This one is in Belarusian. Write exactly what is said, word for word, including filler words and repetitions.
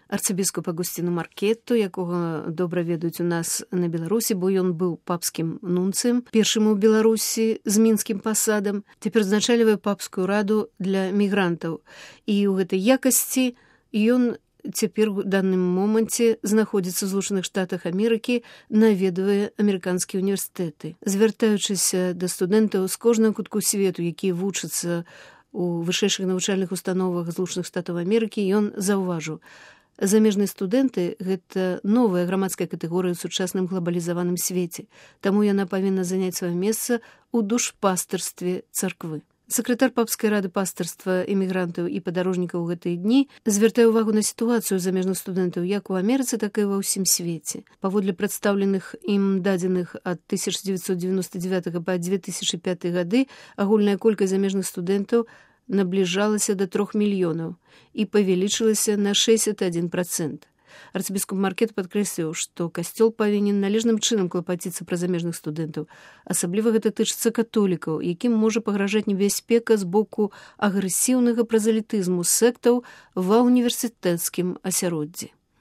арцыбіскупа Агусціну Маркетту, якога добра ведаюць у нас на Беларусі, бо ён быў папскім нунцыем, першым у Беларусі з мінскім пасадам, цяпер узначальвае папскую раду для мігрантаў. І ў гэтай якасці ён цяпер у данным моманце знаходзіцца ў Злучаных Штатах Амерыкі, наведвае амерыканскія універсітэты. Звяртаючыся да студэнтаў з кожнага кутку свету, якія вучацца у вышэйшых навучальных установах Злучаных Штатаў Амерыкі, ён заўважыў: замежныя студэнты – гэта новая грамадская катэгорыя ў сучасным глабалізаваным свеце, таму яна павінна заняць сваё месца ў душпастырстве царквы. Сакратар папскай рады пастырства эмігрантаў і падарожнікаў у гэтыя дні звяртае ўвагу на сітуацыю замежных студэнтаў як у Амерыцы, так і ва ўсім свеце. Паводле прадстаўленых ім дадзеных ад тысяча дзевяцьсот дзевяноста дзевятага па дзве тысячы пяты гады агульная колькасць замежных студэнтаў набліжалася да трох мільёнаў і павялічылася на шэсцьдзесят адзін працэнт. Арцыбіскуп Маркетт падкрэсліў, што касцёл павінен належным чынам клапаціцца пра замежных студэнтаў. Асабліва гэта тычыцца католікаў, якім можа пагражаць небяспека з боку агрэсіўнага празалітызму сектаў ва ўніверсітэцкім асяроддзі.